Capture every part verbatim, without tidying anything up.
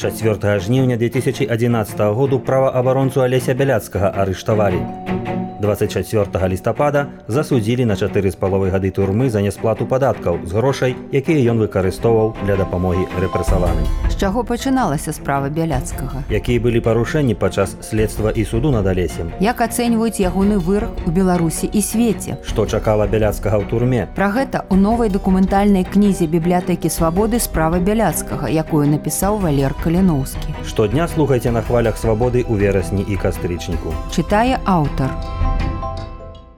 чацвёртага жніўня две тысячи адзінаццатага году праваабаронцу Алеся Бяляцкага арыштавалі. двадцать чацвёртага лістапада засудзілі на чатыры з паловай гады турмы за нясплату падаткаў з грошай, якія ён выкарыстоўваў для дапамогі рэпрэсаваным. З чаго пачыналася справа Бяляцкага? Якія былі парушэнні падчас следства і суду над Алесем? Як ацэньваюць ягоны вырак у Беларусі і свеце? Што чакала Бяляцкага ў турме? Пра гэта ў новай дакументальнай кнізе бібліятэкі свабоды справа Бяляцкага, якую напісаў Валер Каліноўскі. Штодня слухайце на хвалях свабоды ў верасні і кастрычніку. Чытае аўтар.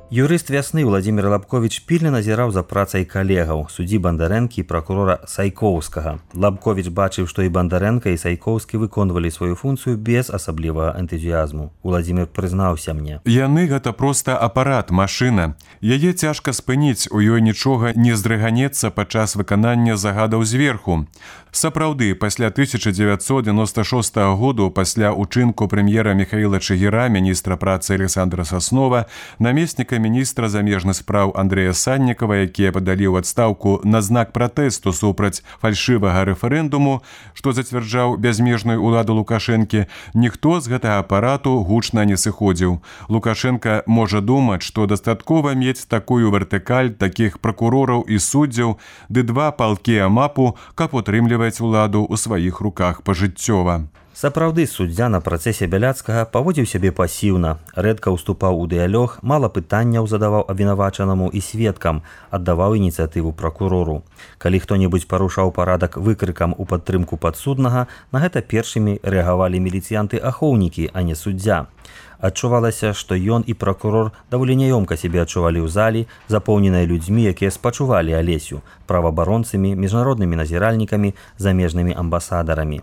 Юрыст «Вясны» Владзімір Лабковіч пільна назіраў за працай калегаў, суддзі Бандарэнкі і пракурора Сайкоўскага. Лабковіч бачыў, што і Бандарэнка, і Сайкоўскі выконвалі сваю функцыю без асаблівага энтузіязму. Владзімір прызнаўся мне. Яны гэта проста апарат, машына. Яе цяжка спыніць, у ёй нічога не здрыганецца падчас выканання загадаў зверху. Сапраўды, пасля тысяча дзевяцьсот дзевяноста шостага году, пасля учынку прэм'ера Міхаіла Чыгіра, міністра працы Александра Саснова, намесніка міністра замежных спраў Андрэя Саннікава, якія падалі ў адстаўку на знак пратэсту супраць фальшывага рэферэндуму, што зацвярджаў бязмежную ўладу Лукашэнкі, ніхто з гэтага апарату гучна не сыходзіў. Лукашенка можа думаць, што дастаткова мець такую вертыкаль такіх пракурораў і суддзяў, ды два палкі амапу, каб утрымліваць уладу ў сваіх руках пажыццёва. Сапраўды, суддзя на працэсе Бяляцкага паводзіў сябе пасіўна, рэдка ўступаў у дыялог, мала пытанняў задаваў абвінавачанаму і сведкам, аддаваў ініцыятыву пракурору. Калі хто-небудзь парушаў парадак выкрыкам у падтрымку падсуднага, на гэта першымі рэагавалі міліцыянты-ахоўнікі, а не суддзя. Адчувалася, што ён і пракурор даволі няёмка сябе адчувалі ў залі, запоўненай людзьмі, якія спачувалі Алесю, праваабаронцамі, міжнароднымі назіральнікамі, замежнымі амбасадарамі.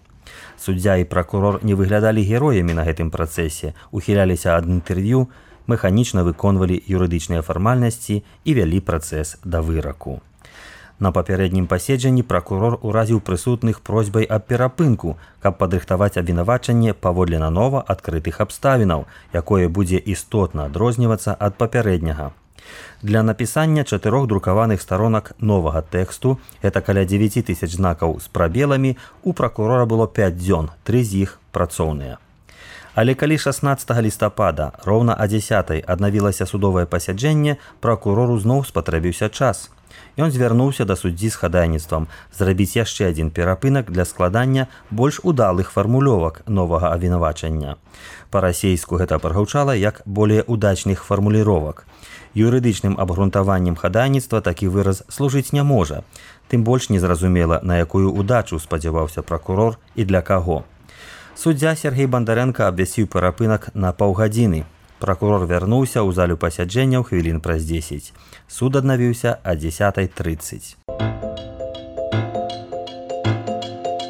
Суддзя і пракурор не выглядалі героямі на гэтым працэсе, ухіляліся ад інтэрв'ю, механічна выконвалі юрыдычныя фармальнасці і вялі працэс да выраку. На папярэднім паседжанні пракурор уразіў прысутных просьбай аб перапынку, каб падрыхтаваць абвінавачанне паводле нанова адкрытых абставінаў, якое будзе істотна адрознівацца ад папярэдняга. Для напісання чатырох друкаваных старонак новага тэксту, гэта каля дзевяць тысяч знакаў з прабеламі, у пракурора было пяць дзён, тры з іх працоўныя. Але калі шаснаццатага лістапада роўна а дзясятай аднавілася судовае пасяджэнне, пракурору зноў спатрэбіўся час. Ён звярнуўся да суддзі з хадайніцтвам зрабіць яшчэ адзін перапынак для складання больш удалых фармулёвак новага абвінавачання. Па-расейску гэта прагучала як более удачных фармуліровак. Юрыдычным абгрунтаваннем хадайніцтва такі выраз служыць не можа. Тым больш незразумела, на якую удачу спадзяваўся пракурор і для каго. Суддзя Сергей Бандарэнка абвясціў перапынак на паўгадзіны. Пракурор вярнуўся ў залю пасяджэнняў хвілін праз дзесяць. Суд аднавіўся а дзесятай трыццаць.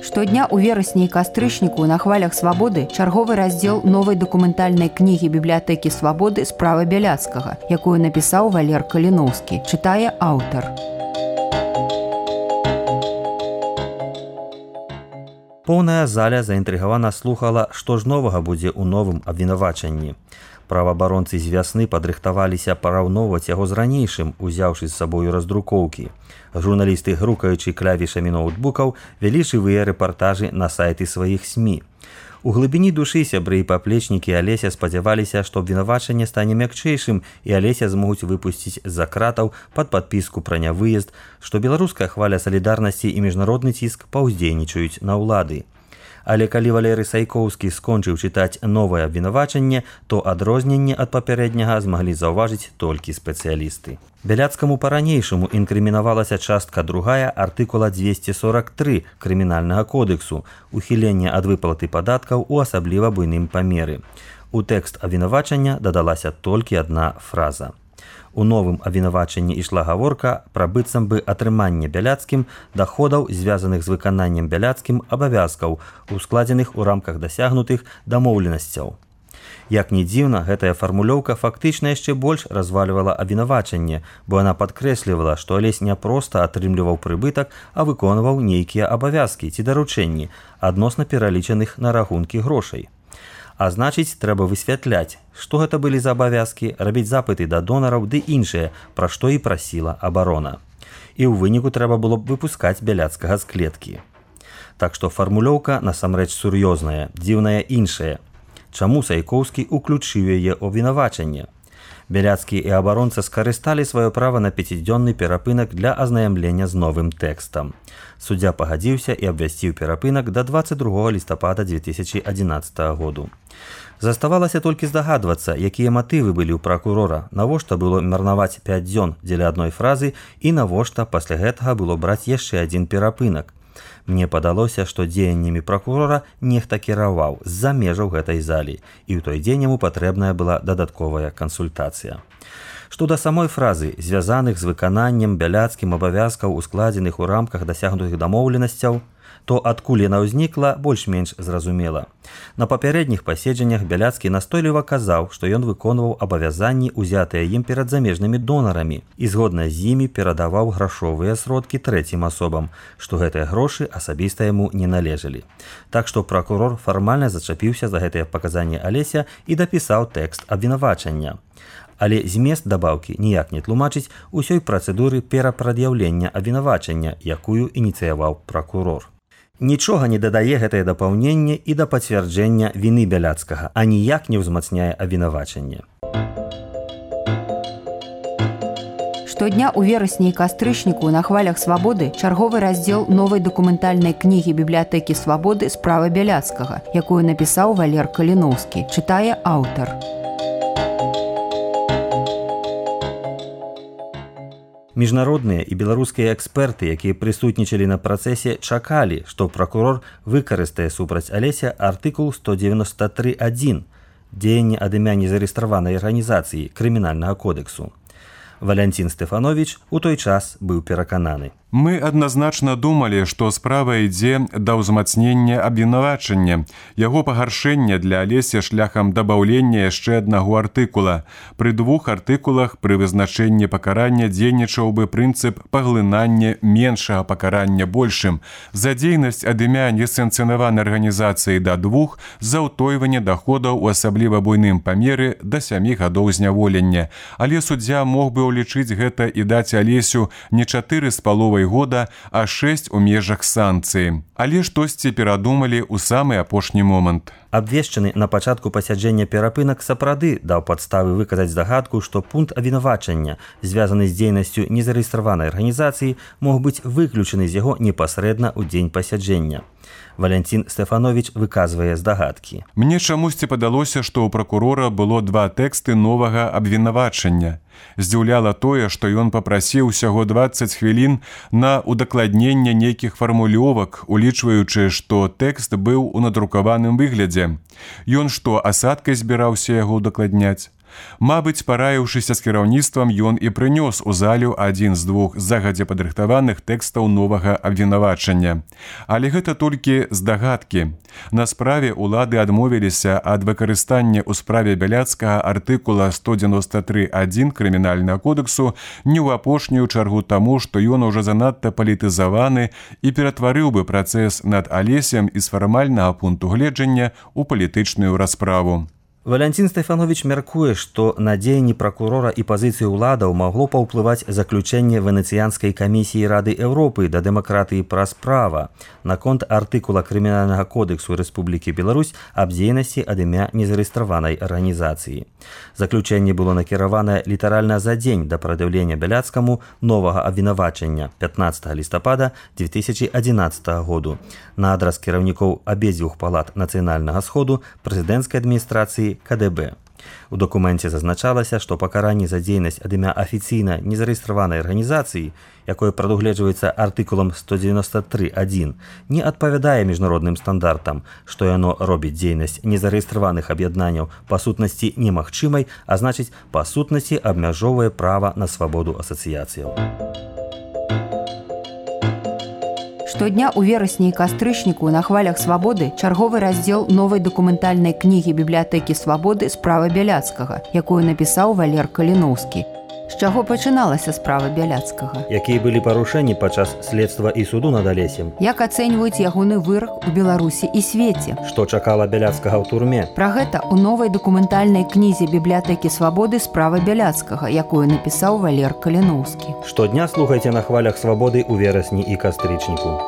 Штодня ў верасні і кастрычніку на хвалях свабоды чарговы раздзел новай дакументальнай кнігі бібліятэкі свабоды справа Бяляцкага, якую напісаў Валер Каліноўскі. Чытае аўтар. Поўная заля заінтрыгавана слухала, што ж новага будзе ў новым абвінавачанні. Праваабаронцы з «Вясны» падрыхтаваліся параўноўваць яго з ранейшым, узяўшы з сабою раздрукоўкі. Журналісты, грукаючы клавішамі ноутбукаў, вялі жывыя рэпартажы на сайты сваіх СМІ. У глыбіні душы сябры і паплечнікі Алеся спадзяваліся, што абвінавачанне стане мякчэйшым і Алеся змогуць выпусціць з-за кратаў пад падпіску пра нявыезд, што беларуская хваля салідарнасці і міжнародны ціск паўздзейнічаюць на ўлады. Але калі Валерый Сайкоўскі скончыў чытаць новае абвінавачанне, то адрозненне ад папярэдняга змаглі заўважыць толькі спецыялісты. Бяляцкаму па-ранейшаму інкрымінавалася частка другая артыкула дзвесце сорак тры крымінальнага кодексу «Ухіленне ад выплаты падаткаў у асабліва буйным памеры». У тэкст абвінавачання дадалася толькі адна фраза. У новым абвінавачанні ішла гаворка пра быццам бы атрыманне Бяляцкім даходаў, звязаных з выкананнем Бяляцкім абавязкаў, ускладзеных у рамках дасягнутых дамоўленасцяў. Як ні дзіўна, гэтая фармулёўка фактычна яшчэ больш развальвала абвінавачанне, бо яна падкрэслівала, што Алесь не проста атрымліваў прыбытак, а выконваў нейкія абавязкі ці даручэнні, адносна пералічаных на рахункі грошай. А значыць, трэба высвятляць, што гэта былі за абавязкі, рабіць запыты да донараў ды іншыя, пра што і прасіла абарона. І ў выніку трэба было б выпускаць Бяляцкага з клеткі. Так што фармулёўка насамрэч сур'ёзная, дзіўная іншая. Чаму Сайкоўскі уключыў яе ў абвінавачанне? Бяляцкі і абаронца скарысталі сваё права на пяцідзённы перапынак для азнаямлення з новым тэкстам. Суддзя пагадзіўся і абвясціў перапынак да дваццаць другога лістапада дзве тысячы адзінаццатага году. Заставалася толькі здагадвацца, якія матывы былі ў пракурора, навошта было марнаваць пяць дзён дзеля адной фразы і навошта пасля гэтага было браць яшчэ адзін перапынак. Мне падалося, што дзеяннямі пракурора нехта кіраваў з-за межаў гэтай залі, і ў той дзень яму патрэбная была дадатковая кансультацыя. Што да самой фразы, звязаных з выкананнем бяляцкім абавязкаў, ускладзеных у рамках дасягнутых дамоўленасцяў, то адкуль яна ўзнікла, больш-менш зразумела. На папярэдніх паседжаннях Бяляцкі настойліва казаў, што ён выконваў абавязанні, узятыя ім перад замежнымі донарамі, і згодна з імі перадаваў грашовыя сродкі трэцім асобам, што гэтыя грошы асабіста яму не належалі. Так што пракурор фармальна зачапіўся за гэтыя паказанні Алеся і дапісаў тэкст абвінавачання. Але змест дабаўкі ніяк не тлумачыць усёй працэдуры перапрад'яўлення абвінавачання, якую ініцыяваў пракурор. Нічога не дадае гэтае дапаўненне і да пацвярджэння віны Бяляцкага, а ніяк не ўзмацняе абвінавачанне. Штодня ў верасні і кастрычніку на хвалях свабоды чарговы раздзел новай дакументальнай кнігі бібліятэкі свабоды «Справа Бяляцкага», якую напісаў Валер Каліноўскі, чытае аўтар. Міжнародныя і беларускія эксперты, якія прысутнічалі на працэсе, чакалі, што пракурор выкарыстае супраць Алеся артыкул сто дзевяносто три адзін «Дзеянне ад імя незарэгістраванай арганізацыі крымінальнага кодексу». Валянцін Стэфановіч у той час быў перакананы. Мы адназначна думалі, што справа ідзе да ўзмацнення абвінавачання, яго пагаршэння для Алеся шляхам дабаўлення яшчэ аднаго артыкула. Пры двух артыкулах пры вызначэнні пакарання дзейнічаў бы прынцып паглынання меншага пакарання большым, за дзейнасць ад імя несанкцыянаванай арганізацыі да двух, за ўтойванне даходаў у асабліва буйным памеры да сямі гадоў зняволення. Але суддзя мог бы ўлічыць гэта і даць Алесю не чатыры з паловай года, а шэсць у межах санкцыі. Але штосьці перадумалі ў самы апошні момант. Абвешчаны на пачатку пасяджэння перапынак сапраўды даў падставы выказаць здагадку, што пункт абвінавачання, звязаны з дзейнасцю незарэгістраванай арганізацыі, мог быць выключаны з яго непасрэдна ў дзень пасяджэння. Валянцін Стэфановіч выказвае здагадкі. Мне чамусьці падалося, што ў пракурора было два тэксты новага абвінавачання. Здзіўляла тое, што ён папрасіў усяго дваццаць хвілін на удакладненне нейкіх фармулёвак, улічваючы, што тэкст быў у надрукаваным выглядзе. Ён што, асадкай збіраўся яго удакладняць? Мабыць, параіўшыся з кіраўніцтвам, ён і прынёс у залю адзін з двух загадзя падрыхтаваных тэкстаў новага абвінавачання. Але гэта толькі здагадкі. На справе улады адмовіліся ад выкарыстання ў справе Бяляцкага артыкула сто дзевяносто три адзін крымінальнага кодексу не ў апошнюю чаргу таму, што ён ужо занадта палітызаваны і ператварыў бы працэс над Алесем і з фармальнага пункту гледжання ў палітычную расправу. Валянцін Стэфановіч мяркуе, што на дзеянні пракурора і пазіцыі ўладаў магло паўплываць заключэнне Венецыянскай камісіі Рады Еўропы да дэмакратыі праз права наконт артыкула крымінальнага кодексу Рэспублікі Беларусь аб дзейнасці ад імя незарэгістраванай арганізацыі. Заключэнне было накіраванае літаральна за дзень да прад'яўлення Бяляцкаму новага абвінавачання пятнаццатага лістапада дзве тысячы адзінаццатага году на адрас кіраўнікоў абедзвюх палат нацыянальнага сходу прэзідэнцкай адміністрацыі ка дэ бэ. У дакуменце зазначалася, што пакаранне за дзейнасць ад імя афіцыйна незарэгістраванай арганізацыі, якое прадугледжваецца артыкулам сто дзевяносто три адзін, не адпавядае міжнародным стандартам, што яно робіць дзейнасць незарэгістраваных аб'яднанняў па сутнасці немагчымай, а значыць, па сутнасці абмяжоўвае права на свабоду асацыяцыяў. Штодня ў верасні і кастрычніку на хвалях свабоды чарговы раздзел новай дакументальнай кнігі бібліятэкі свабоды «Справа Бяляцкага», якую напісаў Валер Каліноўскі. З чаго пачыналася справа Бяляцкага? Якія былі парушэнні падчас следства і суду над Алесем? Як ацэньваюць ягоны вырак у Беларусі і свеце? Што чакала Бяляцкага ў турме? Пра гэта ў новай дакументальнай кнізе бібліятэкі свабоды «Справа Бяляцкага», якую напісаў Валер Каліноўскі. Штодня слухайце на хвалях свабоды ў верасні і кастрычніку.